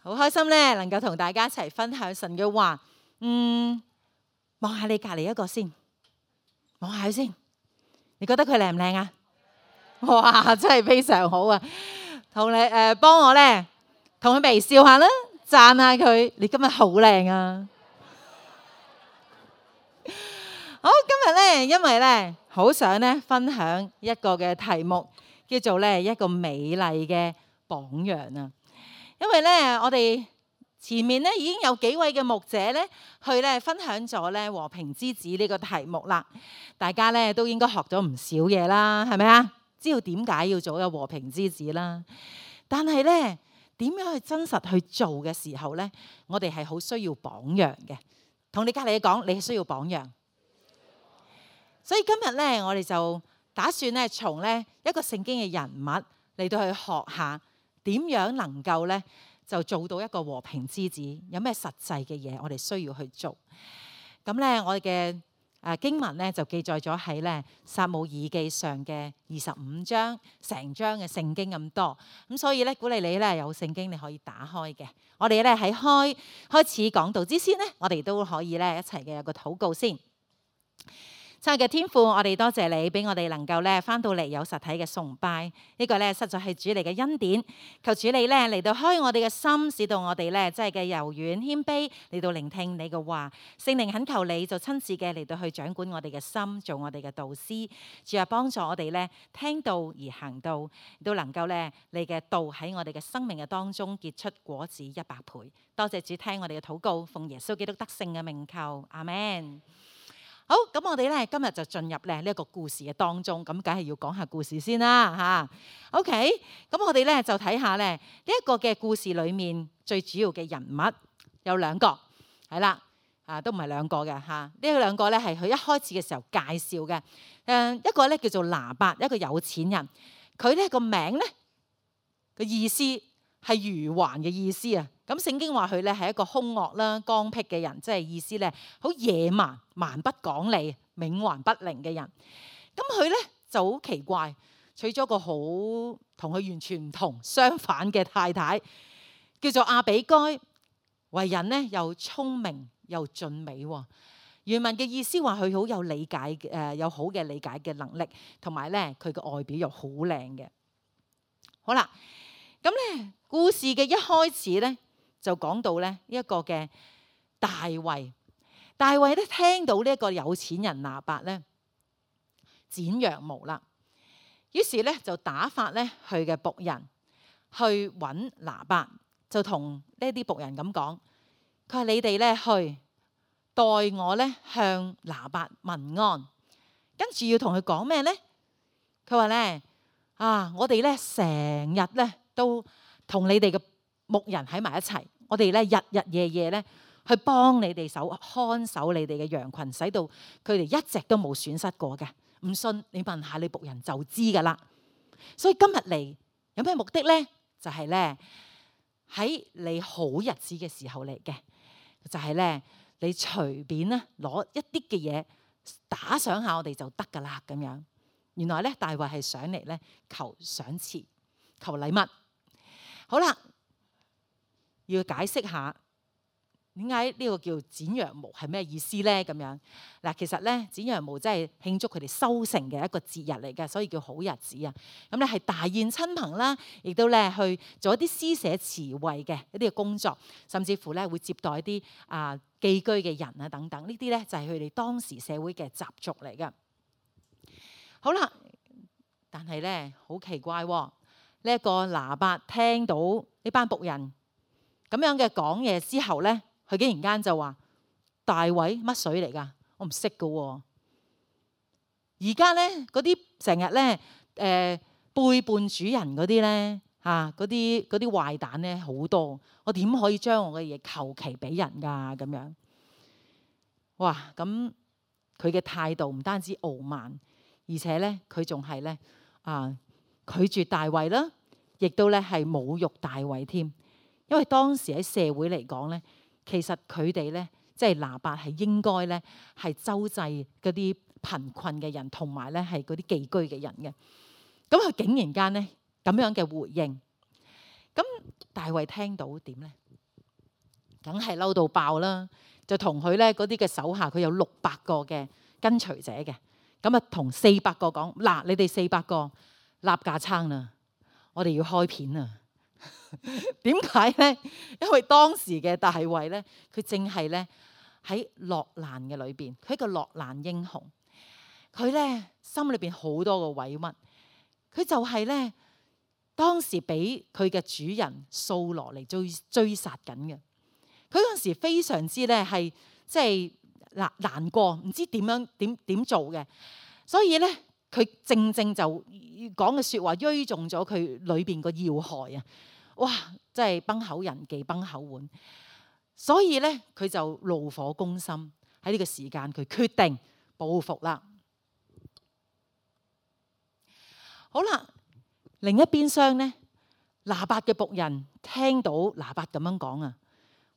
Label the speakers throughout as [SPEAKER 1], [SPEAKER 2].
[SPEAKER 1] 好開心咧，能夠同大家一齊分享神嘅話。望下你隔離一個先，望下佢先。你覺得佢靚唔靚啊？哇，真係非常好啊！同你幫我咧，同佢微笑下啦，讚下佢。你今日好靚啊！好，今日咧，因為咧，好想咧分享一個嘅題目，叫做咧一個美麗嘅榜樣啊！因為咧，我哋前面咧已經有幾位嘅牧者咧，去咧分享咗咧和平之子呢個題目啦。大家咧都應該學咗唔少嘢啦，係咪啊？知道點解要做一個和平之子啦。但係咧，點樣去真實去做嘅時候咧，我哋係好需要榜樣嘅。同你隔離講，你係需要榜樣。所以今日咧，我哋就打算咧從咧一個聖經嘅人物嚟到去學下。點樣能夠咧就做到一個和平之子？有咩實際嘅嘢我哋需要去做？咁咧，我哋嘅經文咧就記載咗喺咧撒母耳記上嘅25章，成章嘅聖經咁多。咁所以咧，鼓勵你咧有聖經你可以打開嘅。我哋咧喺開始講道之前咧，我哋都可以咧一齊嘅有個禱告先。親愛嘅天父，我哋多謝你俾我哋能夠咧翻到嚟有實體嘅崇拜，呢個咧實在係主你嘅恩典。求主你咧嚟到開我哋嘅心，使到我哋咧真係嘅柔軟謙卑嚟到聆聽你嘅話。聖靈懇求你就親自嘅嚟到去掌管我哋嘅心，做我哋嘅導師。主啊，幫助我哋咧聽道而行道，都能夠咧你嘅道喺我哋嘅生命嘅當中結出果子100倍。多謝主聽我哋嘅禱告，奉耶穌基督得勝嘅名求，阿們。好，咁我哋咧今日就進入咧呢一個故事嘅當中，咁梗係要講下故事先啦嚇。OK，咁我哋咧就睇下咧呢一個嘅故事裏面最主要嘅人物有兩個，係啦，都唔係兩個嘅嚇。呢兩個咧係佢一開始嘅時候介紹嘅。一個咧叫做拿八，一個有錢人，佢咧個名咧個意思係愚頑嘅意思啊。咁聖經話佢咧係一個兇惡啦、剛愎嘅人，即係意思咧好野蠻、蠻不講理、冥頑不靈嘅人。咁佢咧就好奇怪，娶咗個好同佢完全唔同、相反嘅太太，叫做亞比該。為人咧又聰明又俊美喎。原文嘅意思話佢好有理解有好嘅理解嘅能力，同埋咧佢嘅外表又好靚嘅。好啦，咁咧故事嘅一開始咧，就講到咧一個嘅大衛。大衛咧聽到呢一個有錢人拿八咧剪羊毛啦，於是咧就打發咧佢嘅僕人去揾拿八，就同呢啲僕人咁講：佢話你哋咧去代我咧向拿八問安，跟住要同佢講咩咧？佢話咧我哋咧成日咧都同你哋嘅牧人喺埋一齊，我哋咧日日夜夜咧去幫你哋看守你哋嘅羊群，使到佢哋一隻都冇損失過嘅。唔信你問下你僕人就知噶啦。所以今日嚟有咩目的咧？就係咧喺你好日子嘅時候嚟嘅，就係咧你隨便咧攞一啲嘅嘢打賞下我哋就得噶啦咁樣。原來咧大衛係上嚟咧求賞賜、求禮物。好啦。要解釋下點解呢個叫剪羊毛係咩意思咧？咁樣嗱，其實咧剪羊毛真係慶祝佢哋收成嘅一個節日嚟嘅，所以叫好日子啊。咁咧係大宴親朋啦，亦都咧去做一啲施捨慈惠嘅一啲嘅工作，甚至乎咧會接待一啲寄居嘅人啊等等。呢啲咧就係佢哋當時社會嘅習俗嚟嘅。好啦，但係咧好奇怪喎，呢一個拿八聽到呢班僕人咁樣嘅講嘢之後咧，佢竟然間就話：大衛乜水嚟㗎？我唔識㗎喎。而家咧嗰啲成日咧背叛主人嗰啲咧嗰啲壞蛋咧好多，我點可以將我嘅嘢求其俾人㗎咁樣？哇！咁佢嘅態度唔單止傲慢，而且咧佢仲係咧拒絕大衛啦，亦都咧係侮辱大衛添。因為當時喺社會嚟講咧，其實佢哋咧即係拿八係應該咧係周濟嗰啲貧困嘅人，同埋咧係嗰啲寄居嘅人嘅。咁佢竟然間咧咁樣嘅回應，咁大衛聽到點咧？梗係嬲到爆啦，就同佢咧嗰啲嘅手下，佢有600個嘅跟隨者嘅，咁啊同400個講：嗱，你哋400個立架撐啦，我哋要開片啊！點解咧？因為當時嘅大衛咧，佢正係咧喺落難嘅裏邊，佢係一個落難英雄。佢咧心裏邊好多個委屈，佢就係咧當時俾佢嘅主人掃羅嚟追殺緊嘅。佢嗰陣時非常之咧係即係難過，唔知點樣點做嘅，所以咧佢正就講嘅説話，錐中咗佢裏邊個要害啊！哇！真係崩口人忌崩口碗，所以咧佢就怒火攻心，喺呢個時間佢決定報復啦。好啦，另一邊廂咧，拿八嘅僕人聽到拿八咁樣講啊！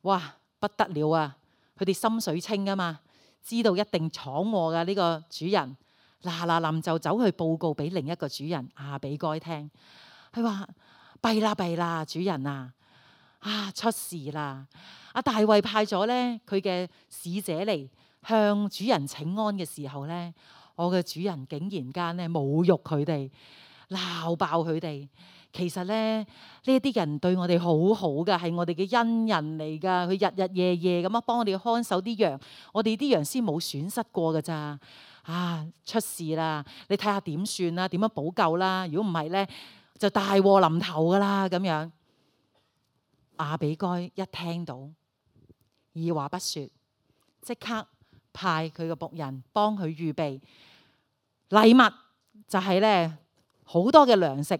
[SPEAKER 1] 哇，不得了啊！佢哋心水清啊嘛，知道一定闖禍嘅呢個主人，嗱臨就走去報告俾另一個主人亞比該聽。佢話：弊啦，主人啊，出事啦！阿大衛派咗咧佢嘅使者嚟向主人請安嘅時候咧，我嘅主人竟然間咧侮辱佢哋，鬧爆佢哋。其實咧，呢一啲人對我哋好好噶，係我哋嘅恩人嚟噶。佢日日夜夜咁樣幫我哋看守啲羊，我哋啲羊先冇損失過噶咋。出事啦！你睇下點算啦？點樣補救啦？如果唔係咧，就大禍臨頭噶啦咁樣。亞比該一聽到，二話不說，即刻派佢嘅僕人幫佢預備禮物，就係咧好多嘅糧食。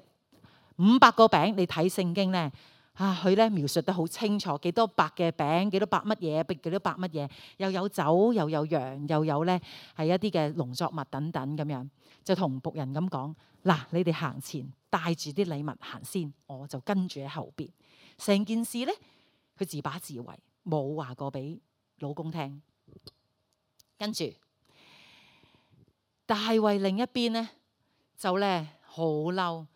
[SPEAKER 1] 500個餅，你睇聖經咧，佢咧描述得好清楚，幾多百嘅餅，幾多百乜嘢，幾多百乜嘢，又有酒，又有羊，又有咧係一啲嘅農作物等等咁樣，就同僕人咁講：嗱，你哋行前帶住啲禮物行先，我就跟住喺後邊。成件事咧，佢自把自為，冇話過俾老公聽。跟住大衛另一邊咧，就咧好嬲。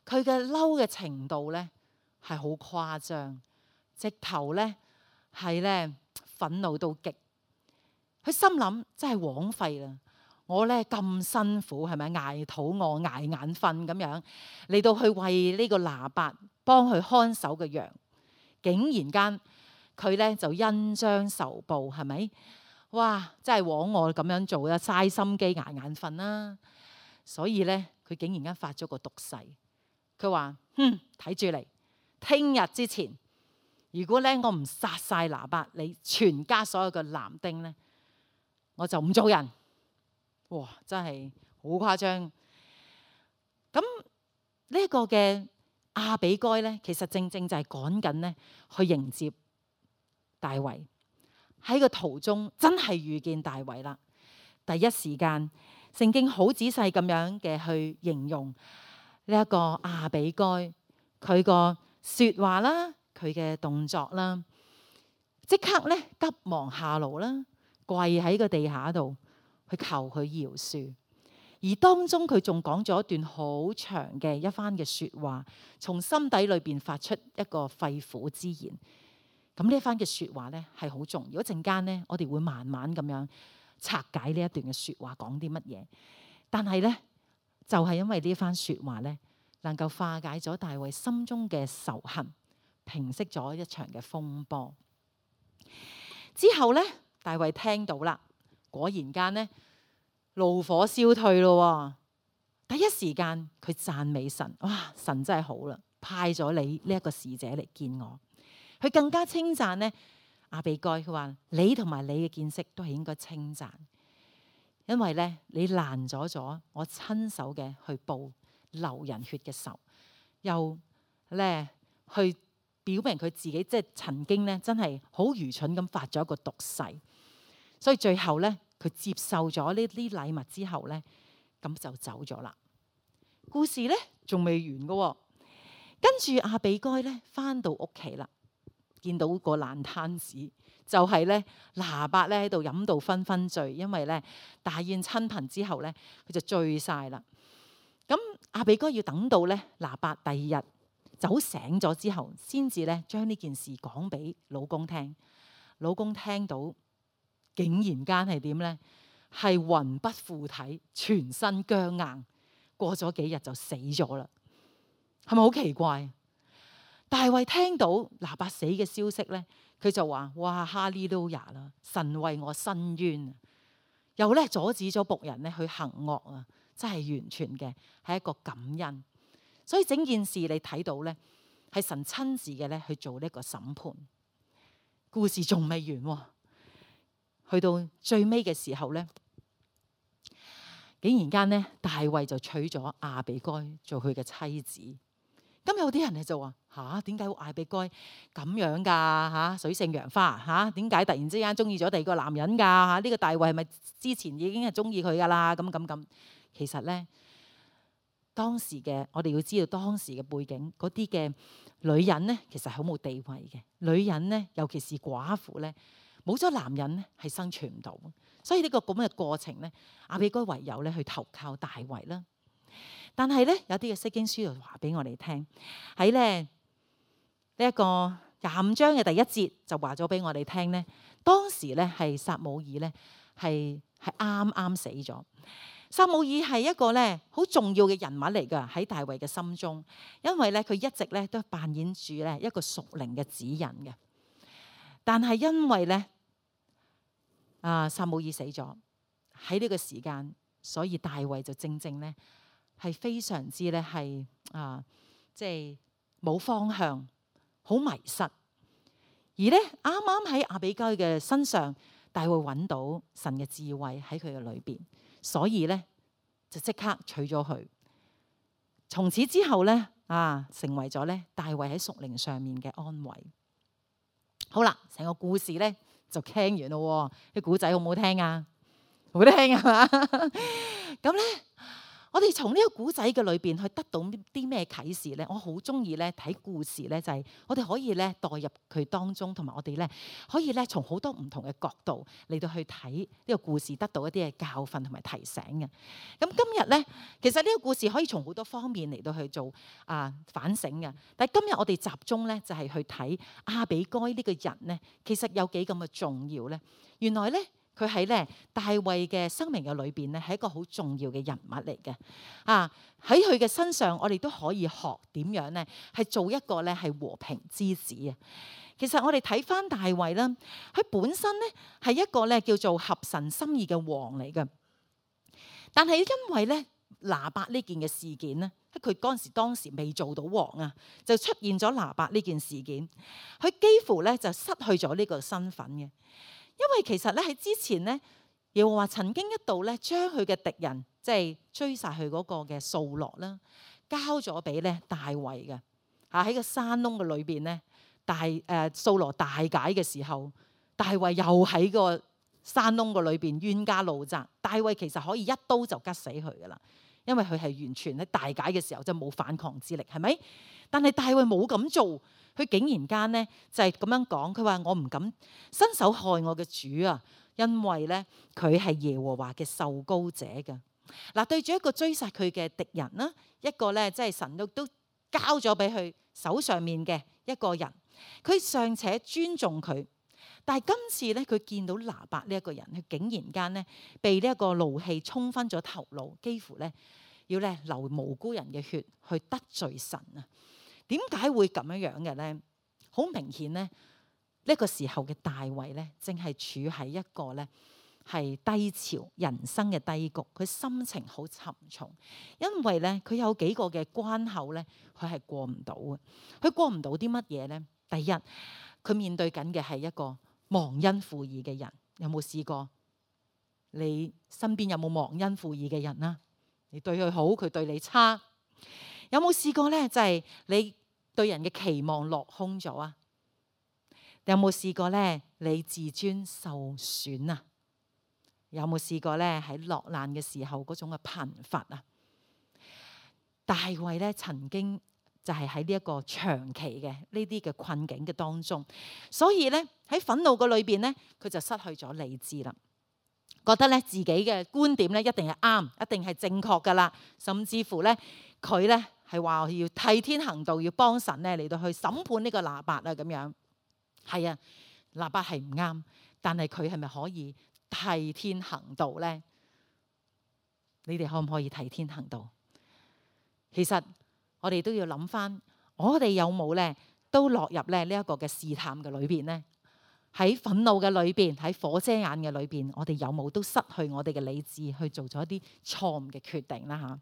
[SPEAKER 1] 佢嘅嬲嘅程度咧係好誇張，直頭咧係咧憤怒到極。佢心諗真係枉費啦！我咧咁辛苦係咪捱肚餓捱眼瞓咁樣嚟到去為呢個拿八幫佢看守嘅羊，竟然間佢咧就恩將仇報係咪？哇！真係枉我咁樣做啦，嘥心機捱眼瞓啦。所以咧佢竟然間發咗個毒誓。佢話：睇住嚟，聽日之前，如果咧我唔殺晒拿八，你全家所有嘅男丁咧，我就唔做人。哇！真係好誇張。咁呢一個嘅亞比該咧，其實正就係趕緊咧去迎接大衛。喺個途中真係遇見大衛啦。第一時間，聖經好仔細咁樣嘅去形容。呢一個亞比該佢個說話啦，佢嘅動作啦，即刻咧急忙下爐啦，跪喺個地下度去求佢饒恕。而當中佢仲講咗一段好長嘅一番嘅說話，從心底裏邊發出一個肺腑之言。咁呢一番嘅說話咧係好重要。一陣間咧，我哋會慢慢咁樣拆解呢一段嘅說話講啲乜嘢。但係咧，就係因為呢番說話咧，能夠化解咗大衛心中嘅仇恨，平息咗一場嘅風波。之後咧，大衛聽到啦，果然間咧怒火消退咯。第一時間佢讚美神，哇！神真係好啦，派咗你呢一個使者嚟見我。佢更加稱讚咧亞比該，佢話你同埋你嘅見識都係應該稱讚。因為咧，你攔咗我親手嘅去報流人血嘅仇，又咧去表明佢自己即係曾經咧真係好愚蠢咁發咗一個毒誓，所以最後咧佢接受咗呢啲禮物之後咧，咁就走咗啦。故事咧仲未完噶，跟住亞比該咧翻到屋企啦，見到個爛攤子。就係咧，拿八咧喺度飲到昏昏醉，因為咧大宴親朋之後咧，佢就醉晒啦。咁亞比該要等到咧拿八第二日走醒咗之後，先至咧將呢件事講俾老公聽。老公聽到竟然間係點呢？係魂不附體，全身僵硬，過咗幾日就死咗啦。係咪好奇怪？大衛聽到拿八死嘅消息呢，佢就話：哇，哈利路亞啦！神為我伸冤，又咧阻止咗僕人咧去行惡啊！真係完全嘅係一個感恩。所以整件事你睇到咧，係神親自嘅咧去做呢個審判。故事仲未完喎，去到最尾嘅時候咧，竟然間咧大衛就娶咗亞比該做佢嘅妻子。咁有啲人咧就話：吓，點解亞比該咁樣㗎？吓，水性楊花吓，點解突然之間中意咗第二個男人㗎？吓，呢個大衛係咪之前已經係中意佢㗎啦？咁，其實咧當時嘅我哋要知道當時嘅背景，嗰啲嘅女人咧其實好冇地位嘅。女人咧，尤其是寡婦咧，冇咗男人咧係生存唔到。所以呢個咁嘅過程咧，亞比該唯有咧去投靠大衛啦。但係咧，有啲嘅釋經書就話俾我哋聽，喺咧呢一個25章嘅第1節就話咗俾我哋聽咧，當時咧係撒母耳咧係啱啱死咗。撒母耳係一個咧好重要嘅人物嚟㗎，喺大衛嘅心中，因為咧佢一直咧都扮演住咧一個屬靈嘅指引嘅。但係因為咧撒母耳死咗喺呢個時間，所以大衛就正正咧係非常之咧係即係冇方向，好迷失。而咧啱啱喺亞比該嘅身上，大衛揾到神嘅智慧喺佢嘅裏邊，所以咧就即刻娶咗佢。從此之後咧成為咗咧大衛喺屬靈上面嘅安慰。好啦，成個故事咧就聽完咯。啲古仔好唔好聽啊？好聽係嘛？咁咧，我哋從呢個古仔嘅裏邊去得到啲咩啟示咧？我好中意咧睇故事咧，就係我哋可以咧代入佢當中，同埋我哋咧可以咧從好多唔同嘅角度嚟到去睇呢個故事，得到一啲嘅教訓同埋提醒嘅。咁今日咧，其實呢個故事可以從好多方面嚟到去做反省嘅。但係今日我哋集中咧就係去睇亞比該呢個人咧，其實有幾咁嘅重要咧？原來咧，佢喺咧大衛嘅生命嘅裏邊咧，係一個好重要嘅人物嚟嘅。喺佢嘅身上，我哋都可以學點樣咧，係做一個咧係和平之子啊。其實我哋睇翻大衛啦，佢本身咧係一個咧叫做合神心意嘅王嚟嘅。但係因為咧拿八呢件嘅事件咧，佢當時未做到王啊，就出現咗拿八呢件事件，佢幾乎咧就失去咗呢個身份嘅。因為其實咧喺之前咧，耶和華曾經一度咧將佢嘅敵人，即係追殺佢嗰個嘅掃羅啦，交咗俾咧大衛嘅。喺個山窿嘅裏邊咧，掃羅大解嘅時候，大衛又喺個山窿嘅裏邊冤家路窄。大衛其實可以一刀就吉死佢噶啦，因為佢係完全喺大解嘅時候就冇反抗之力，係咪？但係大衛冇咁做。佢竟然間咧就係咁樣講，佢話我唔敢伸手害我嘅主啊，因為咧佢係耶和華嘅受膏者嘅。嗱，對住一個追殺佢嘅敵人啦，一個咧即係神都交咗俾佢手上面嘅一個人，佢尚且尊重佢，但係今次咧佢見到拿八呢一個人，佢竟然間咧被呢一個怒氣沖昏咗頭腦，幾乎咧要咧流無辜人嘅血去得罪神啊！點解會咁樣嘅咧？好明顯咧，呢個時候嘅大衛咧，正係處喺一個咧係低潮人生嘅低谷，佢心情好沉重，因為咧佢有幾個嘅關口咧，佢係過唔到嘅。佢過唔到啲乜嘢咧？第一，佢面對緊嘅係一個忘恩負義嘅人。有冇試過？你身邊有冇忘恩負義嘅人啊？你對佢好，佢對你差。有冇試過咧？就係你對人嘅期望落空咗啊？有冇試過咧？你自尊受損啊？有冇試過咧？喺落難嘅時候嗰種嘅貧乏啊？大衛咧曾經就係喺呢一個長期嘅呢啲嘅困境嘅當中，所以咧喺憤怒嘅裏邊咧，佢就失去咗理智啦，覺得咧自己嘅觀點咧一定係啱，一定係正確噶啦，甚至乎咧佢咧係話要替天行道，要幫神咧嚟到去審判呢個拿八啊咁樣。係啊，拿八係唔啱，但係佢係咪可以替天行道呢？你哋可唔可以替天行道？其實我哋都要諗翻，我哋有冇咧都落入咧呢一個嘅試探嘅裏邊呢？喺憤怒嘅裏邊，喺火遮眼嘅裏邊，我哋有冇都失去我哋嘅理智去做咗一啲錯誤嘅決定啦？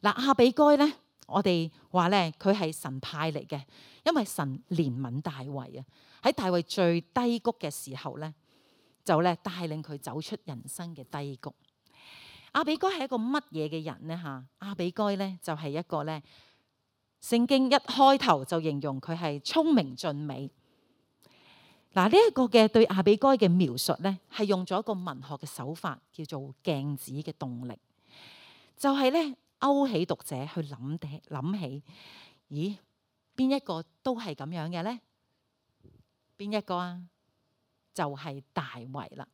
[SPEAKER 1] 嗱，亞比該咧，我哋話咧佢係神派嚟嘅，因為神憐憫大衛啊，喺大衛最低谷嘅時候咧，就咧帶領佢走出人生嘅低谷。亞比該係一個乜嘢嘅人呢？亞比該咧就係一個咧，聖經一開頭就形容佢係聰明俊美。嗱，呢一個嘅對亞比該嘅描述咧，係用咗一個文學嘅手法，叫做鏡子嘅動力，就係咧勾起讀者去諗起，咦，邊一個都係咁樣嘅咧？邊一個啊？就係大衛啦。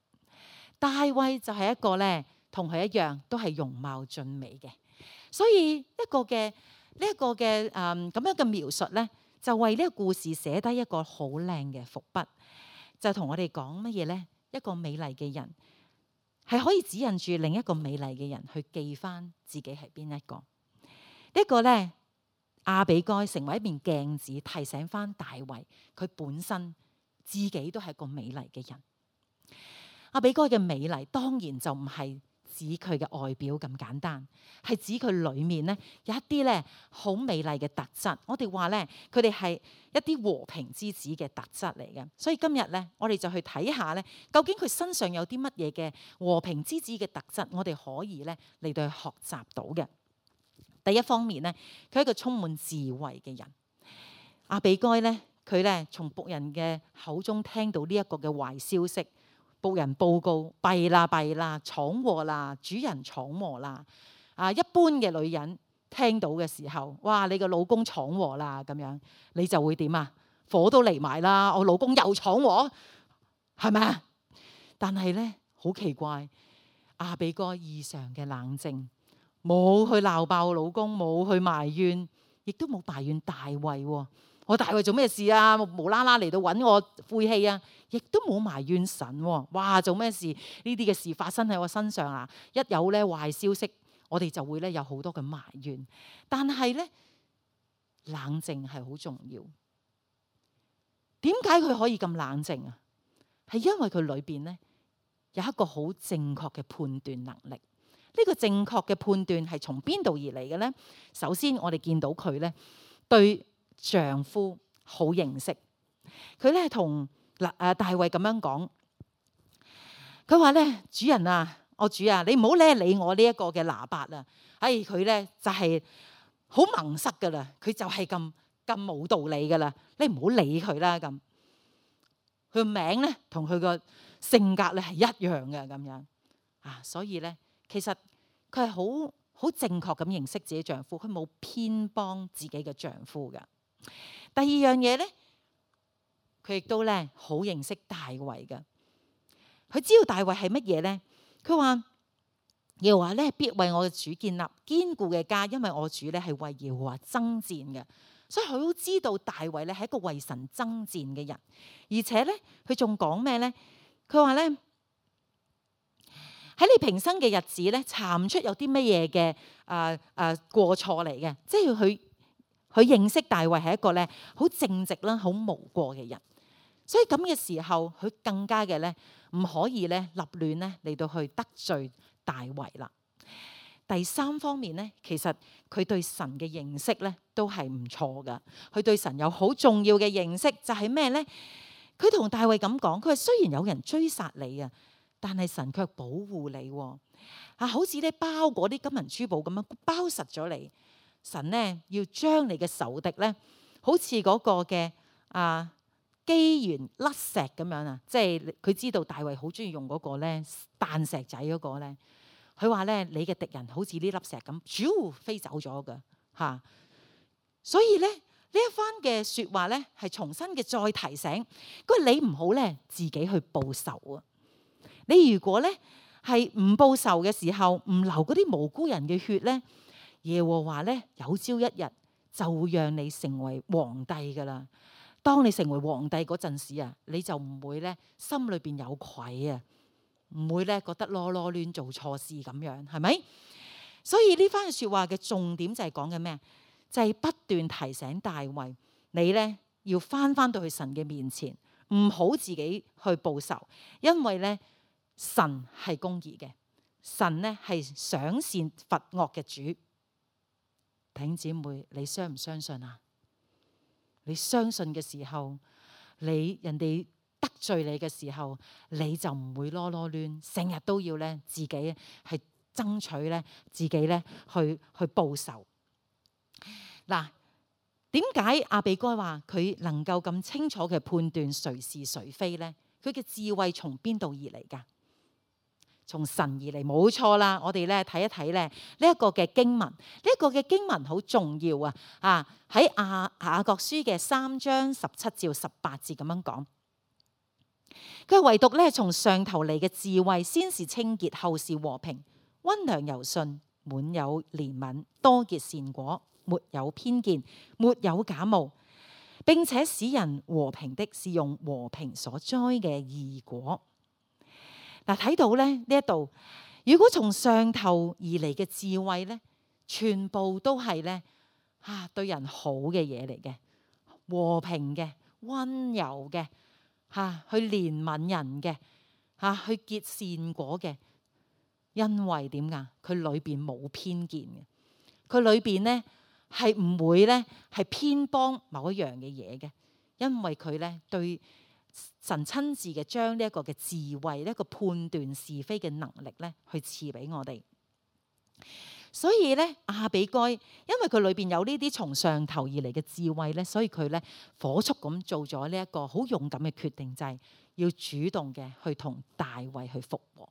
[SPEAKER 1] 大衛就係一個咧，同佢一樣都係容貌俊美嘅，所以一個嘅呢一個嘅咁樣嘅描述咧，就為呢個故事寫低一個好靚嘅伏筆，就同我哋講乜嘢咧？一個美麗嘅人係可以指引住另一個美麗嘅人去記翻自己係邊一個。呢個咧，亞比該成為一面鏡子，提醒翻大衛佢本身自己都係一個美麗嘅人。亞比該嘅美麗當然就唔係指佢嘅外表咁簡單，係指佢裏面咧有一啲咧好美麗嘅特質。我哋話咧，佢哋係一啲和平之子嘅特質嚟嘅。所以今日咧，我哋就去睇下咧，究竟佢身上有啲乜嘢嘅和平之子嘅特質，我哋可以咧嚟到去學習到嘅。第一方面咧，佢係一個充滿智慧嘅人。亞比該咧，佢咧從僕人嘅口中聽到呢一個嘅壞消息。僕人報告：弊啦弊啦，闖禍啦，主人闖禍啦！一般嘅女人聽到嘅時候，哇！你個老公闖禍啦，咁樣你就會點啊？火都嚟埋啦！我老公又闖禍，係咪啊？但係咧，好奇怪，亞比該異常嘅冷靜，冇去鬧爆老公，冇去埋怨，亦都冇埋怨大衛。我大衛做咩事啊？無啦啦嚟到揾我晦氣啊！亦都冇埋怨神喎。哇！做咩事？呢啲嘅事發生喺我身上啊！一有咧壞消息，我哋就會咧有好多嘅埋怨。但係咧，冷靜係好重要。點解佢可以咁冷靜啊？係因為佢裏邊咧有一個好正確嘅判斷能力。呢個正確嘅判斷係從邊度而嚟嘅咧？首先，我哋見到佢咧對丈夫好認識。佢咧同大衛咁樣講，佢話咧：主人啊，我主啊，你唔好咧理我呢一個嘅拿八啊！佢咧就係好矇塞噶啦，佢就係咁冇道理噶啦，你唔好理佢啦咁。佢個名咧同佢個性格咧係一樣嘅咁樣啊，所以咧其實佢係好正確咁認識自己丈夫，佢冇偏幫自己嘅丈夫噶。第二樣嘢咧，佢亦都咧好認識大衛嘅。佢知道大衛係乜嘢咧？佢話耶和華咧必為我嘅主建立堅固嘅家，因為我主咧係為耶和華爭戰嘅。所以佢都知道大衛咧係一個為神爭戰嘅人，而且咧佢仲講咩咧？佢話咧喺你平生嘅日子咧，查唔出有啲乜嘢嘅過錯嚟嘅，即係佢認識大衛係一個咧好正直啦、好無過嘅人。所以咁嘅時候，佢更加嘅咧唔可以咧立亂咧嚟到去得罪大衛啦。第三方面咧，其實佢對神嘅認識咧都係唔錯噶。佢對神有好重要嘅認識，就係咩咧？佢同大衛咁講，佢話雖然有人追殺你啊，但係神卻保護你。好似咧包嗰啲金銀珠寶咁樣包實咗你。神咧要將你嘅仇敵咧，好似嗰個嘅機緣甩石咁樣啊，即係佢知道大衛好中意用嗰個咧彈石仔嗰個咧。佢話咧，你嘅敵人好似呢粒石咁，咻飛走咗噶嚇。所以咧呢一番嘅説話咧，係重新嘅再提醒，佢話你唔好咧自己去報仇啊！你如果咧係唔報仇嘅時候，唔流嗰啲無辜人嘅血咧，耶和華咧有朝一日就會讓你成為皇帝噶啦。當你成為皇帝嗰陣時啊，你就唔會咧心裏邊有愧啊，唔會咧覺得囉囉攣做錯事咁樣，係咪？所以呢番説話嘅重點就係講緊咩？就係不斷提醒大衛，你咧要翻到去神嘅面前，唔好自己去報仇，因為咧神係公義嘅，神咧係賞善罰惡嘅主。弟兄姊妹，你相唔相信啊？你相信嘅時候，人哋得罪你嘅時候，你就唔會囉囉攣，成日都要咧自己係爭取咧自己咧去報仇。嗱，點解亞比該話佢能夠咁清楚嘅判斷誰是誰非咧？佢嘅智慧從邊度而嚟㗎？從神而嚟，冇錯啦。我哋咧睇一睇咧呢一個嘅經文，呢一個嘅經文好重要啊！喺雅各書嘅3章17至18節咁樣講，佢唯獨咧從上頭嚟嘅智慧，先是清潔，後是和平，溫良柔順，滿有憐憫，多結善果，沒有偏見，沒有假冒，並且使人和平的，是用和平所栽嘅義果。嗱，睇到咧呢一度，如果從上頭而嚟嘅智慧咧，全部都係咧對人好嘅嘢嚟嘅，和平嘅、溫柔嘅，去憐憫人嘅，去結善果嘅。因為點㗎？佢裏邊冇偏見嘅，佢裏邊咧係唔會咧係偏幫某一樣嘅嘢嘅，因為佢咧對神親自嘅將呢一個嘅智慧，呢一個判斷是非嘅能力咧，去賜俾我哋。所以咧，亞比該因為佢裏邊有呢啲從上頭而嚟嘅智慧咧，所以佢咧火速咁做咗呢一個好勇敢嘅決定，就係要主動嘅去同大衛去復和。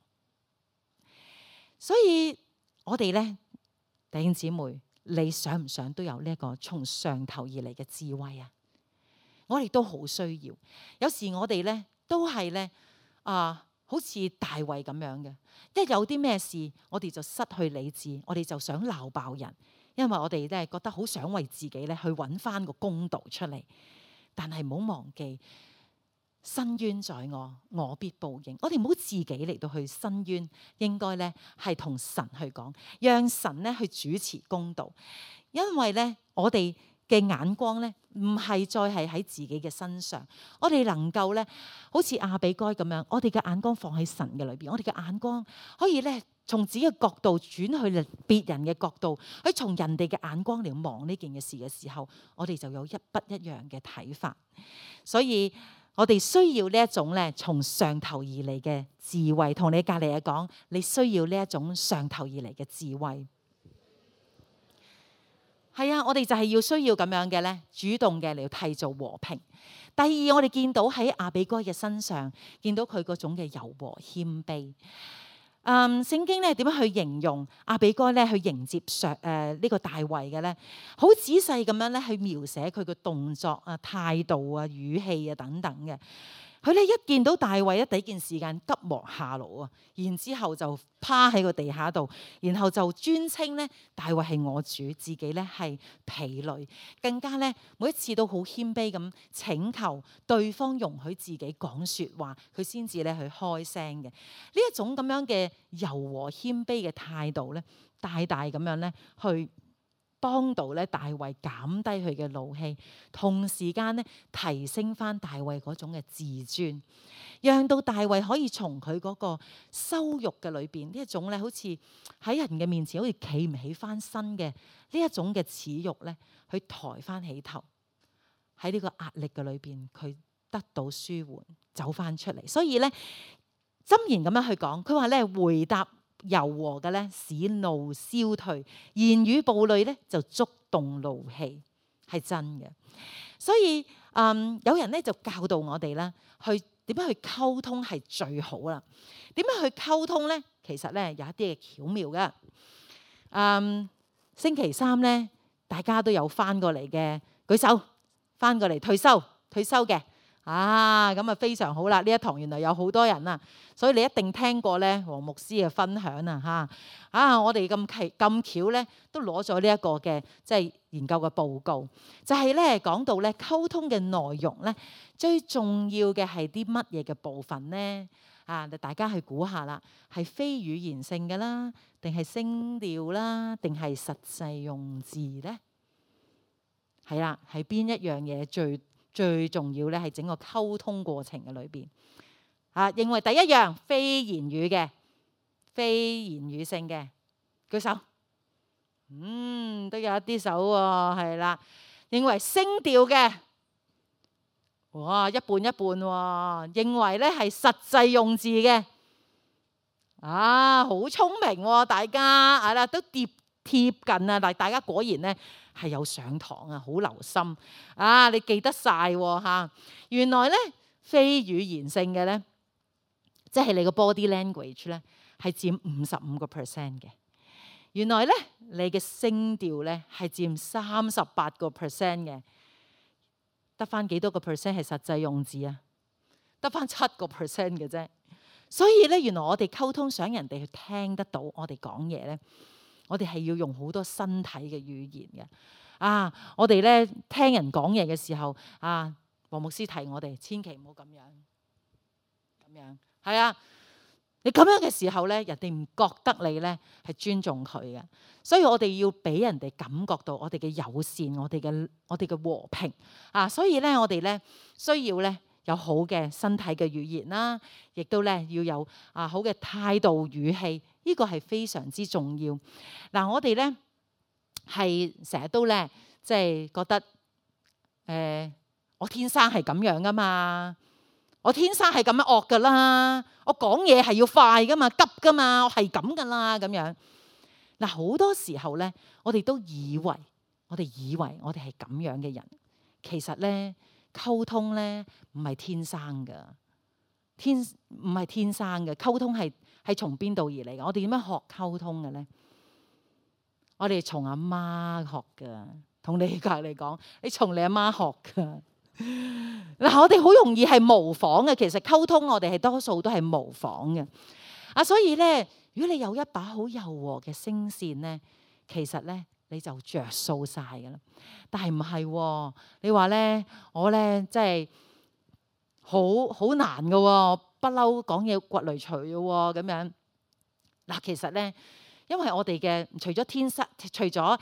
[SPEAKER 1] 所以我哋咧，弟兄姊妹，你想唔想都有呢一個從上頭而嚟嘅智慧啊？我哋都好需要。有時我哋咧都係咧好似大衛咁樣嘅，一有啲咩事，我哋就失去理智，我哋就想鬧爆人，因為我哋咧覺得好想為自己咧去揾翻個公道出嚟。但係唔好忘記，申冤在我，我必報應。我哋唔好自己嚟到去申冤，應該咧係同神去講，讓神咧去主持公道。因為咧我哋嘅眼光咧，唔係再係喺自己嘅身上，我哋能夠咧，好似亞比該咁樣，我哋嘅眼光放喺神嘅裏邊，我哋嘅眼光可以咧，從自己嘅角度轉去別人嘅角度，去從人哋嘅眼光嚟望呢件嘅事嘅時候，我哋就有一不一樣嘅睇法。所以我哋需要呢一種咧，從上頭而嚟嘅智慧。同你隔籬嘅講，你需要呢一種上頭而嚟嘅智慧。係啊，我哋就係要需要咁樣嘅咧，主動嘅嚟締造和平。第二，我哋見到喺亞比該嘅身上，見到佢嗰種嘅柔和謙卑。聖經咧點樣去形容亞比該咧去迎接呢個大衛嘅咧？好仔細咁樣咧去描寫佢嘅動作啊、態度啊、語氣啊等等嘅。佢咧一見到大衛，第一件時間急忙下爐啊，然之後就趴喺個地下度，然後就尊稱咧大衛係我主，自己咧係婢女，更加咧每一次都好謙卑咁請求對方容許自己講説話，佢先至咧去開聲嘅。呢一種咁樣嘅柔和謙卑嘅態度咧，大大咁樣咧去幫到咧大衛減低佢嘅怒氣，同時間咧提升翻大衛嗰種嘅自尊，讓到大衛可以從佢嗰個羞辱嘅裏邊，呢一種咧好似喺人嘅面前好似企唔起翻身嘅呢一種嘅恥辱咧，去抬翻起頭，喺呢個壓力嘅裏邊，佢得到舒緩，走翻出嚟。所以咧箴言咁樣去講，佢話咧回答柔和嘅咧，使怒消退；言語暴戾咧，就觸動怒氣，係真嘅。所以有人咧就教導我哋啦，去點樣去溝通係最好啦。點樣去溝通咧？其實咧有一啲嘅巧妙嘅。星期三咧，大家都有翻過嚟嘅舉手，翻過嚟退休嘅咁啊非常好啦！呢一堂原來有好多人啊，所以你一定聽過咧黃牧師嘅分享我哋咁巧咧，都攞咗呢一個嘅即係研究嘅報告，就係咧講到咧溝通嘅內容咧，最重要嘅係啲乜嘢嘅部分咧？大家去估下啦，係非語言性嘅啦，定係聲調啦，定係實際用字咧？係啦，係邊一樣嘢最重要咧？係整個溝通過程嘅裏邊認為第一樣非言語嘅、非言語性嘅，舉手。都有一啲手喎，係啦。認為聲調嘅，哇，一半一半喎。認為咧係實際用字嘅，好聰明喎，大家係啦，都貼近啊！但大家果然咧係有上堂啊，好留心你記得晒喎。原來咧非語言性嘅咧，即係你個 body language 咧係佔55%嘅。原來咧你嘅聲調咧係佔38%嘅，得翻幾多個 percent 係實際用字啊？得翻7% 嘅啫。所以咧，原來我哋溝通想人哋去聽得到我哋講嘢咧，我哋係要用好多身體嘅語言嘅。我哋咧聽人講嘢嘅時候，黃牧師提我哋千祈唔好咁樣，係啊。你咁樣嘅時候咧，人哋唔覺得你咧係尊重佢嘅，所以我哋要俾人哋感覺到我哋嘅友善，我哋嘅和平所以咧，我哋咧需要咧有好嘅身體嘅語言啦，亦都咧要有好嘅態度語氣，呢個係非常之重要。我哋咧係成日都咧即係覺得我天生係咁樣噶嘛。我天生係咁樣惡噶啦，我講嘢係要快噶嘛，急噶嘛，我係咁噶啦咁樣。好多時候咧，我哋都以為我哋係咁樣嘅人，其實咧溝通咧唔係天生噶，唔係天生嘅。溝通係從邊度而嚟嘅？我哋點樣學溝通嘅咧？我哋從阿媽學噶，同你隔離講，你從你阿媽學噶。我哋好容易係模仿嘅，其實溝通我哋係多數都係模仿嘅所以咧，如果你有一把好柔和嘅聲線咧，其實咧你就着數晒噶啦。但係唔係，你話咧我咧即係好難噶不嬲講嘢掘雷錘嘅咁樣其實咧。因為我哋嘅除咗天生，除咗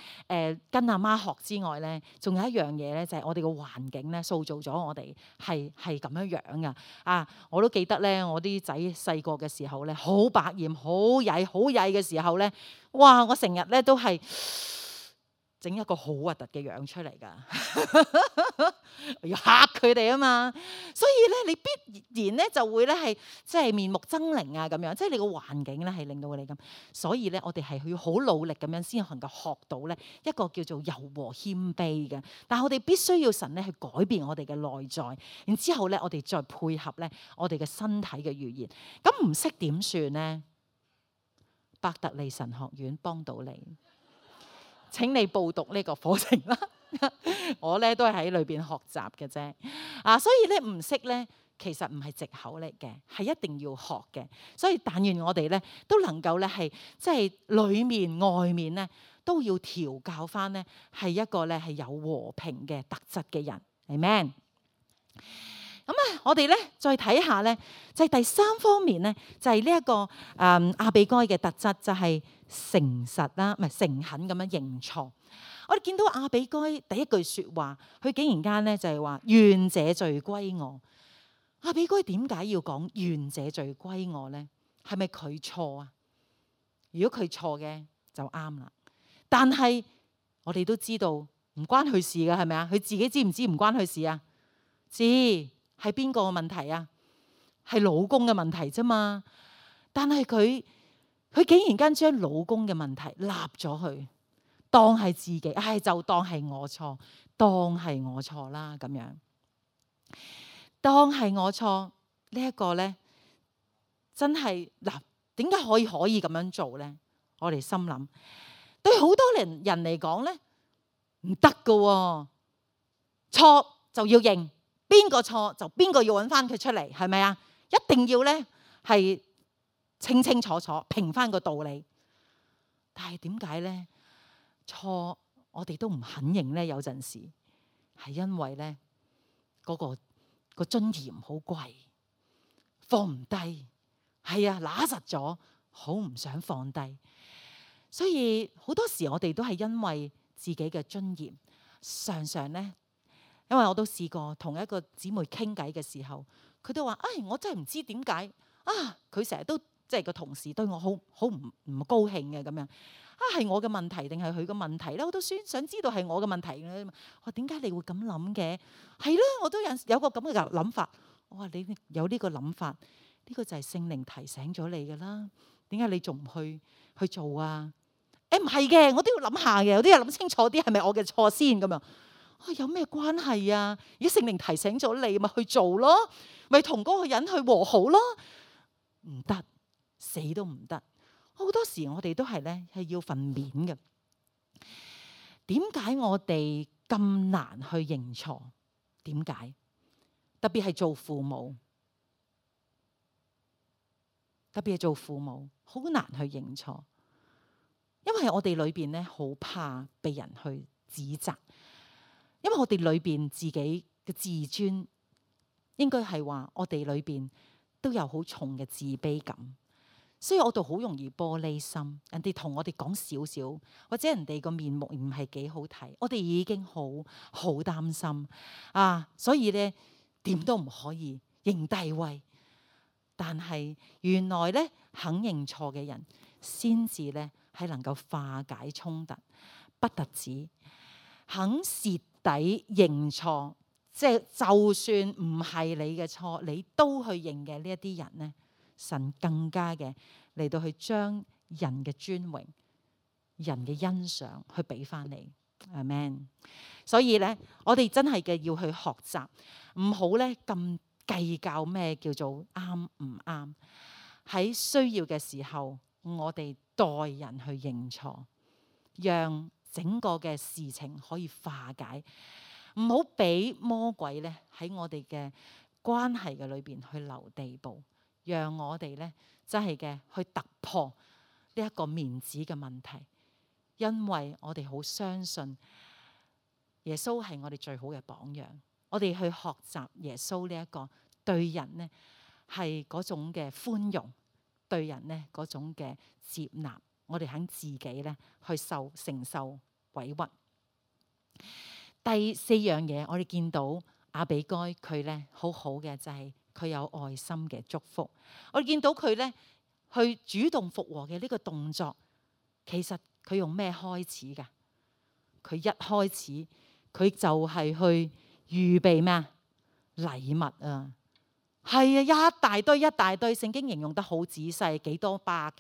[SPEAKER 1] 跟阿媽學之外咧，仲有一樣嘢咧，就係我哋嘅環境咧，塑造咗我哋係咁樣樣噶我都記得咧，我啲仔細個嘅時候咧，好百厭、好曳嘅時候咧，哇！我成日咧都係整一個好核突嘅樣出嚟噶，要嚇佢哋啊嘛。所以咧，你必然咧就會咧係即係面目猙獰咁樣，即係你個環境咧係令到你咁。所以咧，我哋係要好努力咁樣先能夠學到咧一個叫做柔和謙卑嘅。但係我哋必須要神咧去改變我哋嘅內在，然之後咧我哋再配合咧我哋嘅身體嘅語言。咁唔識點算呢？伯特利神學院幫到你。請你報讀呢個課程啦，我咧都係喺裏邊學習嘅啫。所以咧唔識咧，其實唔係藉口嚟嘅，係一定要學嘅。所以但願我哋咧都能夠咧係即係裏面外面咧都要調教翻咧係一個咧係有和平嘅特質嘅人。Amen。咁我哋咧再睇下咧，就係第三方面咧，就係呢一個亞比該嘅特質，就係誠實啦，唔係誠懇咁樣認錯。我哋見到亞比該第一句説話，佢竟然間咧就係話願這罪歸我。亞比該點解要講願這罪歸我咧？係咪佢錯啊？如果佢錯嘅就啱啦。但係我哋都知道唔關佢事㗎，係咪啊？佢自己知唔知唔關佢事啊？知。係邊個嘅問題啊？係老公嘅問題啫嘛。但係佢竟然間將老公嘅問題立咗去，當係自己，就當係我錯，當係我錯啦咁樣。當係我錯呢一個咧，真係點解可以咁樣做咧？我哋心諗，對好多人嚟講咧，唔得噶，錯就要認。邊個錯就邊個要揾翻佢出嚟，係咪啊？一定要咧係清清楚楚評翻個道理。但係點解咧錯我哋都唔肯認咧？有陣時係因為咧嗰個尊嚴好貴，放唔低。係啊，揦實咗，好唔想放低。所以好多時我哋都係因為自己嘅尊嚴，常常咧，因為我都試過同一個姊妹傾偈嘅時候，佢都話：唉，我真係唔知點解啊！佢成日都即係個同事對我好唔高興嘅咁樣啊，係我嘅問題定係佢嘅問題咧？我都想知道係我嘅問題咧。我點解你會咁諗嘅？係啦，我都有個咁嘅諗法。我話你有呢個諗法，呢個就係聖靈提醒咗你㗎啦。點解你仲唔去做啊？誒，唔係嘅，我都要諗下嘅，有啲嘢諗清楚啲，係咪我嘅錯先咁樣？有咩關係啊？而家聖靈提醒咗你，咪去做咯，咪同嗰個人去和好咯。唔得，死都唔得。好多時我哋都係咧係要份面嘅。點解我哋咁難去認錯？點解？特別係做父母，好難去認錯。因為我哋裏邊咧好怕被人去指責，因為我哋裏邊自己嘅自尊，應該係話我哋裏邊都有好重嘅自卑感，所以我哋好容易玻璃心。人哋同我哋講少少，或者人哋個面目唔係幾好睇，我哋已經好擔心啊！所以咧點都唔可以認低威。但係原來咧肯認錯嘅人，先至咧係能夠化解衝突，不特止肯蝕底認錯，即係就算唔係你嘅錯，你都去認嘅呢一啲人咧，神更加嘅嚟到去將人嘅尊榮、人嘅欣賞去俾翻你。阿們。所以咧，我哋真係嘅要去學習，唔好咧咁計較咩叫做啱唔啱。喺需要嘅時候，我哋代人去認錯，讓整個嘅事情可以化解，唔好俾魔鬼咧喺我哋嘅關係嘅裏邊去留地步，讓我哋咧真係嘅去突破呢一個面子嘅問題。因為我哋好相信耶穌係我哋最好嘅榜樣，我哋去學習耶穌呢一個對人呢係嗰種嘅寬容，對人呢嗰種嘅接納，我哋肯自己呢去承受委屈。第四樣嘢，我哋見到亞比該佢呢好好嘅就係佢有愛心嘅祝福。我哋見到佢呢去主動復和嘅呢個動作，其實佢用咩開始㗎？佢一開始佢就係去預備咩啊？禮物啊！係啊，一大堆，聖經形容得好仔細，幾多百。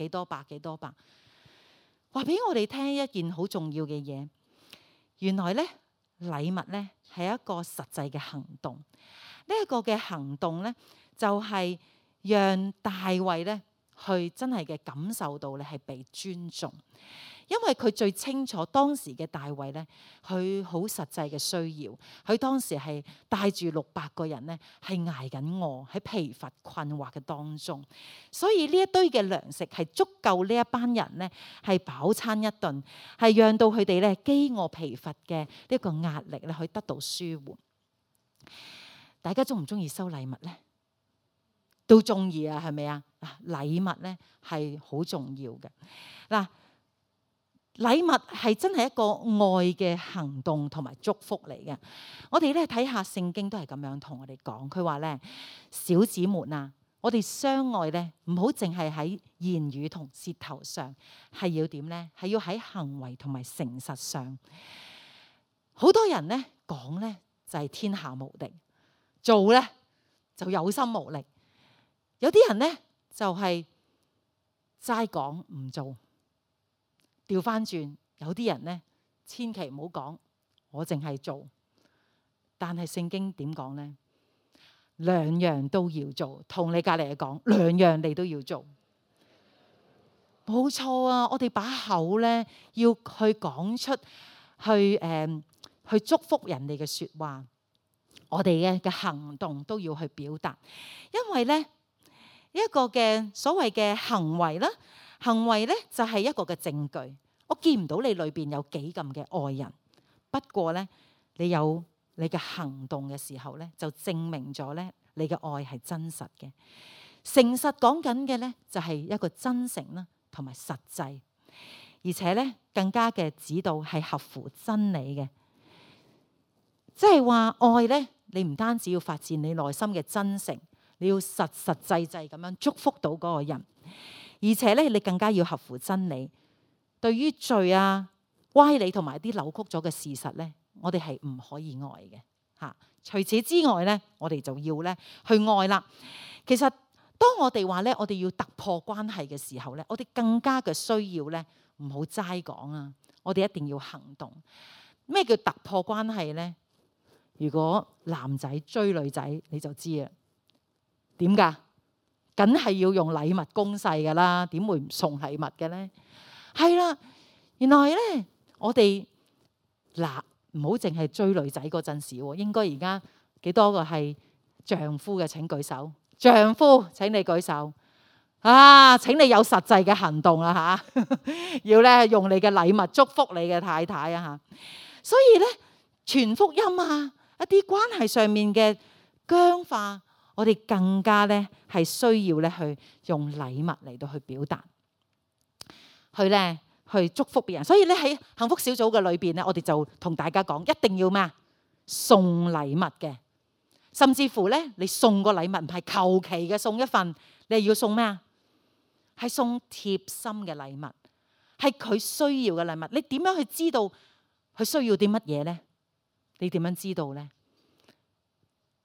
[SPEAKER 1] 話俾我哋聽一件好重要嘅嘢，原來咧禮物咧係一個實際嘅行動。呢一個嘅行動咧，就係讓大衛咧去真係嘅感受到咧係被尊重。因為佢最清楚當時嘅大衛咧，佢好實際嘅需要。佢當時係帶住600個人咧，係捱緊餓喺疲乏困惑嘅當中，所以呢一堆嘅糧食係足夠呢一班人咧係飽餐一頓，係讓到佢哋咧飢餓疲乏嘅呢個壓力咧可以得到舒緩。大家中唔中意收禮物咧？都中意啊，係咪啊？禮物咧係好重要嘅嗱。禮物係真係一個愛嘅行動同埋祝福嚟嘅。我哋咧睇下聖經都係咁樣同我哋講，佢話咧，小子們啊，我哋相愛咧唔好淨係喺言語同舌頭上，係要點咧？係要喺行為同埋誠實上。好多人咧講咧就係天下無敵，做咧就有心無力。有啲人咧就係齋講唔做。調翻轉，有啲人咧，千祈唔好講，我淨係做。但係聖經點講咧？兩樣都要做，同你隔離嚟講，兩樣你都要做。冇錯啊！我哋把口咧要去講出去祝福人哋嘅説話，我哋嘅行動都要去表達，因為咧一個嘅所謂嘅行為啦，行為咧就係一個嘅證據。我見唔到你裏邊有幾咁嘅愛人，不過咧你有你嘅行動嘅時候咧，就證明咗咧你嘅愛係真實嘅。誠實講緊嘅咧就係一個真誠啦，同埋實際，而且咧更加嘅指導係合乎真理嘅。即係話愛咧，你唔單止要發自你內心嘅真誠，你要實實際際咁樣祝福到嗰個人，而且咧你更加要合乎真理。對於罪啊、歪理同埋啲扭曲咗嘅事實咧，我哋係唔可以愛嘅嚇。除此之外咧，我哋就要咧去愛啦。其實當我哋話咧，我哋要突破關係嘅時候咧，我哋更加嘅需要咧，唔好齋講啊，我哋一定要行動。咩叫突破關係咧？如果男仔追女仔，你就知啦。點㗎？梗係要用禮物攻勢㗎啦，點會唔送禮物嘅咧？係啦，原來咧，我哋嗱唔好淨係追女仔嗰陣時喎，應該而家幾多個係丈夫嘅？請舉手。丈夫請你舉手啊！請你有實際嘅行動啊嚇，要咧用你嘅禮物祝福你嘅太太啊嚇。所以咧，傳福音啊，一啲關係上面嘅僵化，我哋更加咧係需要咧去用禮物嚟到去表達，去祝福別人。所以咧喺幸福小組嘅裏邊咧，我哋就同大家講，一定要咩啊？送禮物嘅。甚至乎咧，你送個禮物唔係求其嘅送一份，你係要送咩啊？係送貼心嘅禮物，係佢需要嘅禮物。你點樣去知道佢需要啲乜嘢咧？你點樣知道咧？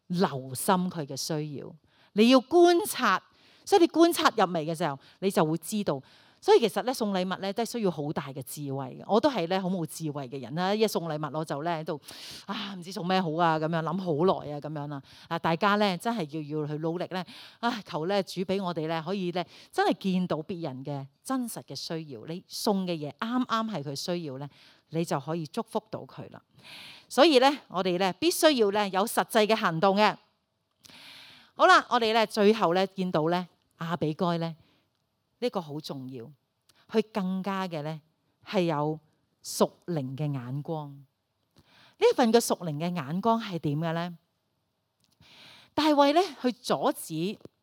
[SPEAKER 1] 留心佢嘅需要，你要觀察。所以你觀察入微嘅時候，你就會知道。所以其實咧送禮物咧都係需要好大嘅智慧嘅。我都係咧好冇智慧嘅人啦，一送禮物我就咧喺度唔知送咩好啊，咁樣諗好耐啊，咁樣啦。大家咧真係要去努力咧，求咧主俾我哋咧可以咧真係見到別人嘅真實嘅需要。你送嘅嘢啱啱係佢需要咧，你就可以祝福到佢啦。所以咧我哋咧必須要咧有實際嘅行動嘅。好啦，我哋咧最後咧見到咧亞比該咧。呢個好重要，佢更加嘅咧係有屬靈嘅眼光。呢一份嘅屬靈嘅眼光係點嘅咧？大衛咧去阻止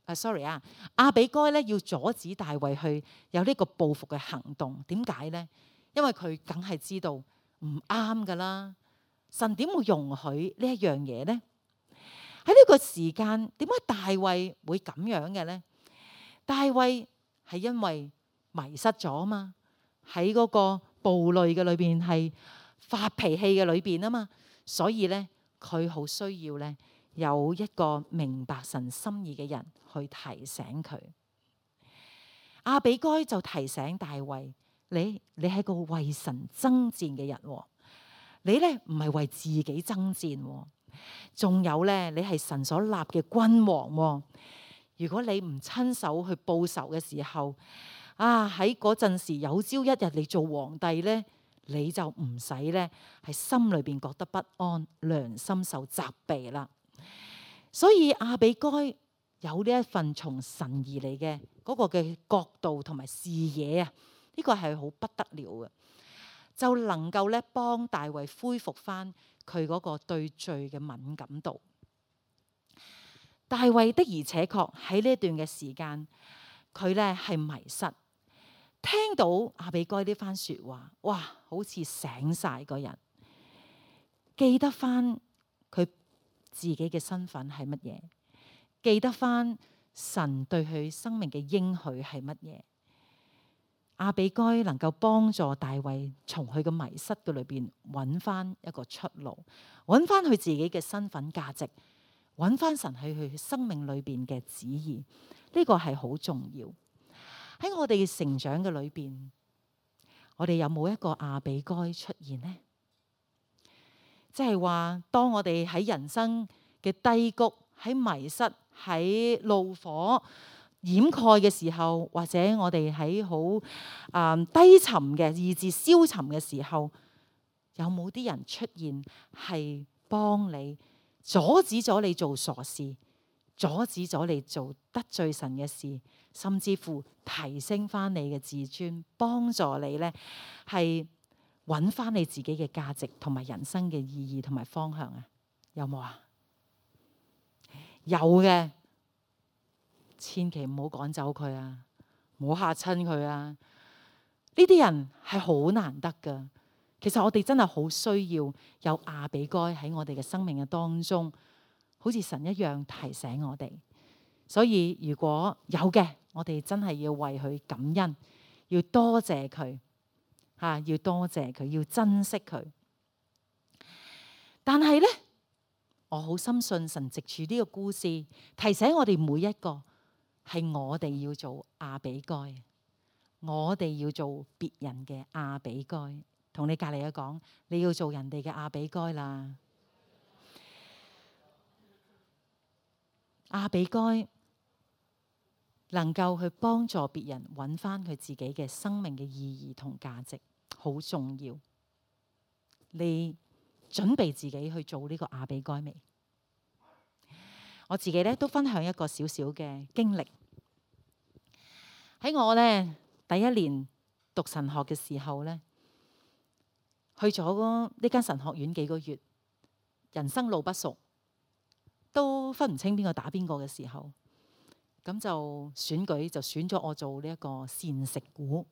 [SPEAKER 1] 亞比該咧要阻止大衛去有呢個報復嘅行動。點解咧？因為佢梗係知道唔啱噶啦。神點會容許呢一樣嘢咧？喺呢個時間，點解大衛會咁樣嘅咧？大衛係因為迷失咗啊嘛，喺嗰個暴戾嘅裏邊係發脾氣嘅裏邊啊嘛，所以咧佢好需要咧有一個明白神心意嘅人去提醒佢。亞比該就提醒大衛：你係個為神爭戰嘅人，你咧唔係為自己爭戰，仲有咧你係神所立嘅君王。如果你唔親手去報仇嘅時候，喺嗰陣時有朝一日你做皇帝咧，你就唔使咧係心裏邊覺得不安，良心受責備啦。所以亞比該有呢一份從神而嚟嘅嗰個嘅角度同埋視野啊，呢個係好不得了嘅，就能夠咧幫大衛恢復翻佢嗰個對罪嘅敏感度。大衛的而且確喺呢一段嘅時間，佢咧係迷失，聽到亞比該呢番說話，哇，好似醒晒個人，記得翻佢自己嘅身份係乜嘢，記得翻神對佢生命嘅應許係乜嘢。亞比該能夠幫助大衛從佢嘅迷失嘅裏邊揾翻一個出路，揾翻佢自己嘅身份價值，揾翻神喺佢生命裏邊嘅旨意，呢個係好重要。喺我哋嘅成長嘅裏邊，我哋有冇一個亞比該出現呢？即係話，當我哋喺人生嘅低谷、喺迷失、喺怒火掩蓋嘅時候，或者我哋喺好低沉嘅意志消沉嘅時候，有冇啲人出現係幫你阻止咗你做傻事，阻止咗你做得罪神嘅事，甚至乎提升翻你嘅自尊，幫助你咧係揾翻你自己嘅價值同埋人生嘅意義同埋方向啊？有冇啊？有嘅，千祈唔好趕走佢啊，唔好嚇親佢啊！呢啲人係好難得噶。其實我哋真係好需要有亞比該喺我哋嘅生命嘅當中，好似神一樣提醒我哋。所以如果有嘅，我哋真係要為佢感恩，要多謝佢嚇，要多謝佢，要珍惜佢。但係呢，我好深信神藉住呢個故事提醒我哋每一個，係我哋要做亞比該，我哋要做別人嘅亞比該。同你隔籬嘅講，你要做人哋嘅亞比該啦。亞比該能夠去幫助別人揾翻佢自己嘅生命嘅意義同價值，好重要。你準備自己去做呢個亞比該未？我自己咧都分享一個小小嘅經歷。喺我咧第一年讀神學嘅時候咧，去咗呢間神學院幾個月，人生路不熟，都分唔清邊個打邊個嘅時候，咁就選舉就選咗我做呢一個膳食股。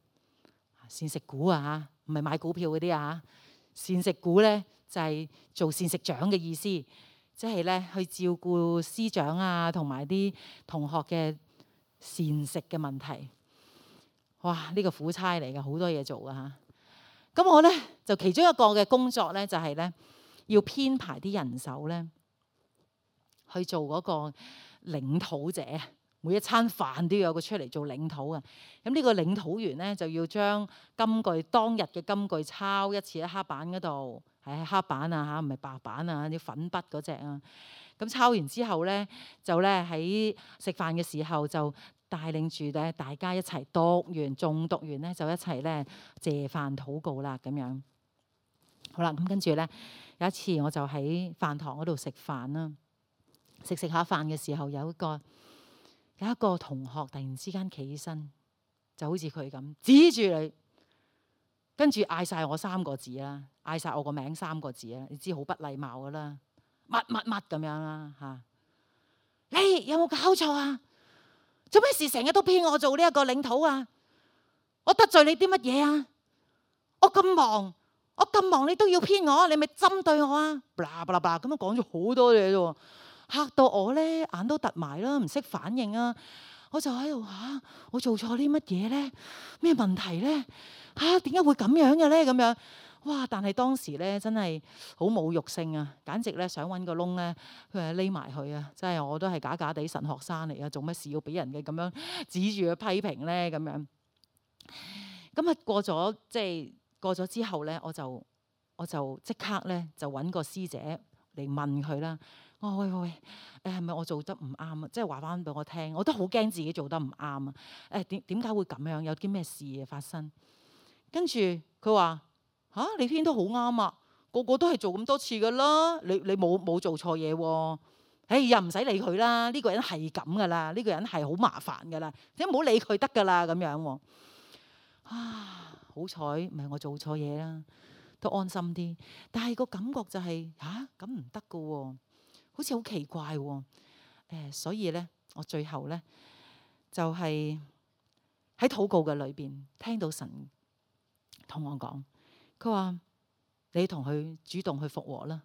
[SPEAKER 1] 膳食股啊，唔係買股票嗰啲啊，膳食股咧就係做膳食長嘅意思，即係咧去照顧師長啊同埋啲同學嘅膳食嘅問題。哇！呢個苦差嚟嘅，好多嘢做㗎嚇。咁我咧就其中一個嘅工作咧，就係咧要編排啲人手咧去做嗰個領土者，每一餐飯都要有個出嚟做領土啊。咁呢個領土員咧就要將金句當日嘅金句抄一次喺黑板嗰度，係黑板啊嚇，唔係白板啊，啲粉筆嗰隻啊。咁抄完之後咧，就咧喺食飯嘅時候就帶領住咧大家一齊讀完，誦讀完咧就一齊咧謝飯禱告啦咁樣。好啦，咁跟住咧有一次我就喺飯堂嗰度食飯啦，食下飯嘅時候有一個同學突然之間企起身，就好似佢咁指住你，跟住嗌晒我3個字啦，嗌晒我個名3個字啦，你知好不禮貌噶啦，乜咁樣啦嚇！你有冇搞錯啊？做咩事成日都編我做呢一個領土啊？我得罪你啲乜嘢啊？我咁忙，你都要編我，你咪針對我啊！blah blah blah 咁樣講咗好多嘢啫，嚇到我咧眼都突埋啦，唔識反應啊！我就喺度嚇，我做錯啲乜嘢咧？咩問題咧？嚇，點解會咁樣嘅咧？咁樣哇！但係當時咧真係好侮辱性啊，簡直咧想揾個窿咧，佢係匿埋去啊！真係我都係假地神學生嚟啊，做乜事要俾人嘅咁樣指住去批評咧？咁樣咁啊過咗之後咧，我就即刻咧就揾個師姐嚟問佢啦。我話喂，係咪我做得唔啱啊？即係話翻俾我聽，我都好驚自己做得唔啱啊！點解會咁樣？有啲咩事發生？跟住佢話嚇，你編都好啱啊，個個都係做咁多次噶啦，你冇做錯嘢喎。又唔使理佢啦，呢個人係咁噶啦，呢個人係好麻煩噶啦，你唔好理佢得噶啦咁樣喎。好彩唔係我做錯嘢啦，都安心啲。但係個感覺就係咁唔得噶喎，好似好奇怪喎。所以咧，我最後咧就係喺禱告嘅裏邊聽到神同我講，佢話你同佢主動去復和啦。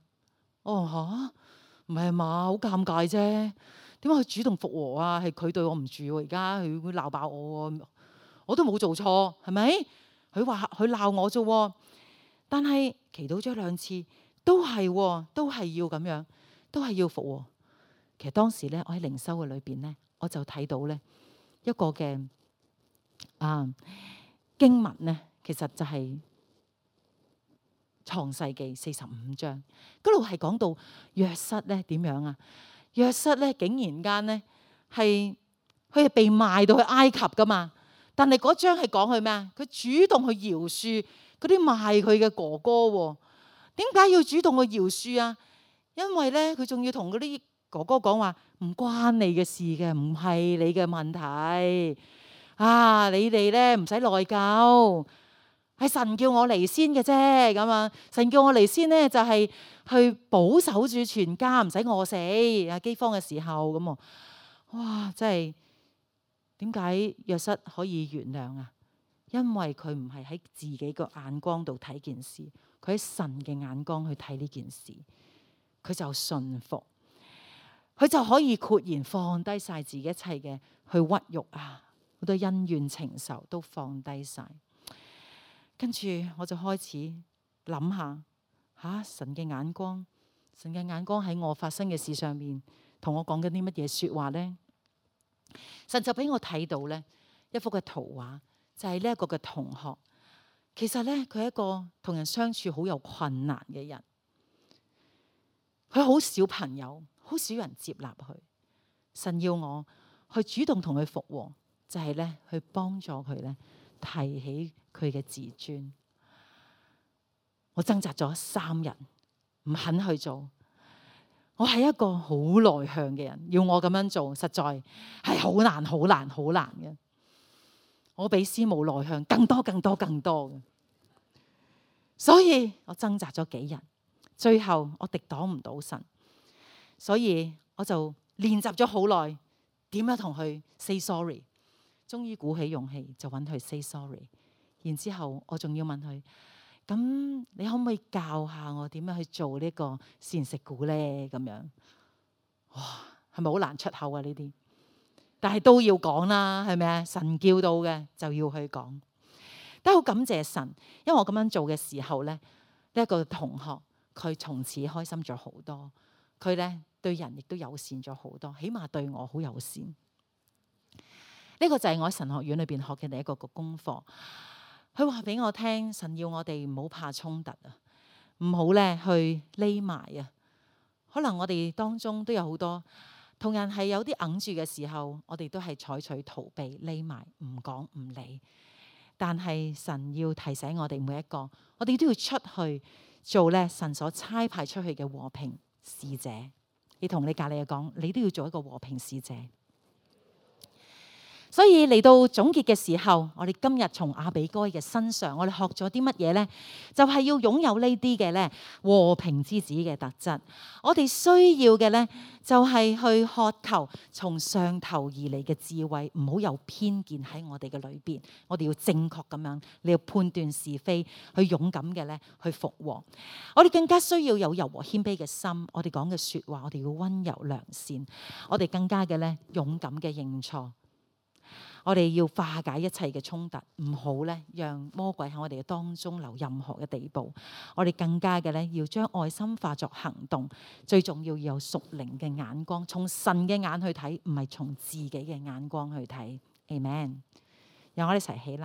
[SPEAKER 1] 唔係嘛，好尷尬啫。點解佢主動復和啊？係佢對我唔住喎，而家佢會鬧爆我喎，我都冇做錯，係咪？佢話佢鬧我啫，但係祈禱咗2次都係要咁樣，都係要復和。其實當時咧，我喺靈修嘅裏邊咧，我就睇到咧一個嘅經文咧，其實就係創世記45章嗰度係講到約瑟咧點樣啊？約瑟咧竟然間咧佢係被賣到去埃及噶嘛。但係嗰章係講佢咩啊？佢主動去饒恕嗰啲賣佢嘅哥哥喎。點解要主動去饒恕啊？因為咧佢仲要同嗰啲哥哥講話，唔關你嘅事嘅，唔係你嘅問題啊！你哋咧唔使內疚，係神叫我嚟先嘅啫。咁啊，神叫我嚟先咧，就係去保守住全家，唔使餓死啊饑荒嘅時候咁啊！哇，真係點解約瑟可以原諒啊？因為佢唔係喺自己個眼光度睇件事，佢喺神嘅眼光去睇呢件事，佢就順服，佢就可以豁然放低晒自己一切嘅去屈辱啊，好多恩怨情仇都放低晒。跟住我就開始諗下，神嘅眼光，神嘅眼光喺我發生嘅事上面，同我講緊啲乜嘢說話呢？神就俾我睇到呢一幅嘅圖畫。就係呢一個嘅同學，其實咧佢係一個同人相處好有困難嘅人，佢好少朋友，好少人接納佢。神要我去主動同佢復和，就係咧去幫助佢咧提起佢嘅自尊。我掙扎咗3日，唔肯去做。我係一個好內向嘅人，要我咁樣做，實在係好難、好難、好難嘅。我比師母內向更多嘅，所以我掙扎咗幾日，最後我敵擋唔到神，所以我就練習咗好耐，點樣同佢 say sorry。終於鼓起勇氣就揾佢 say sorry， 然之後我仲要問佢：咁你可唔可以教下我點樣去做呢個膳食鼓呢？咁樣，哇，係咪好難出口啊？呢啲？但係都要講啦，係咪啊？神叫到嘅就要去講。都好感謝神，因為我咁樣做嘅時候咧，呢一個同學佢從此開心咗好多，佢咧對人亦都友善咗好多，起碼對我好友善。呢個就係我喺神學院裏邊學嘅第一個功課。佢話俾我聽，神要我哋唔好怕衝突啊，唔好咧去匿埋啊。可能我哋當中都有好多同人係有啲哽住嘅時候，我哋都係採取逃避、匿埋、唔講唔理。但係神要提醒我哋每一個，我哋都要出去做咧神所差派出去嘅和平使者。你同你隔籬嘅講，你都要做一個和平使者。所以嚟到總結嘅時候，我哋今日從亞比該嘅身上，我哋學咗啲乜嘢呢？就係要擁有呢啲嘅咧和平之子嘅特質。我哋需要嘅咧就係去渴求從上頭而嚟嘅智慧，唔好有偏見喺我哋嘅裏邊。我哋要正確咁樣，你要判斷是非，去勇敢嘅咧去復和。我哋更加需要有柔和謙卑嘅心。我哋講嘅說話，我哋要溫柔良善。我哋更加嘅咧勇敢嘅認錯。我哋要化解一切嘅衝突，唔好咧讓魔鬼喺我哋嘅當中留任何嘅地步。我哋更加嘅咧要將愛心化作行動，最重要有屬靈嘅眼光，從神嘅眼去睇，唔係從自己嘅眼光去睇。Amen。讓我哋一齊起立。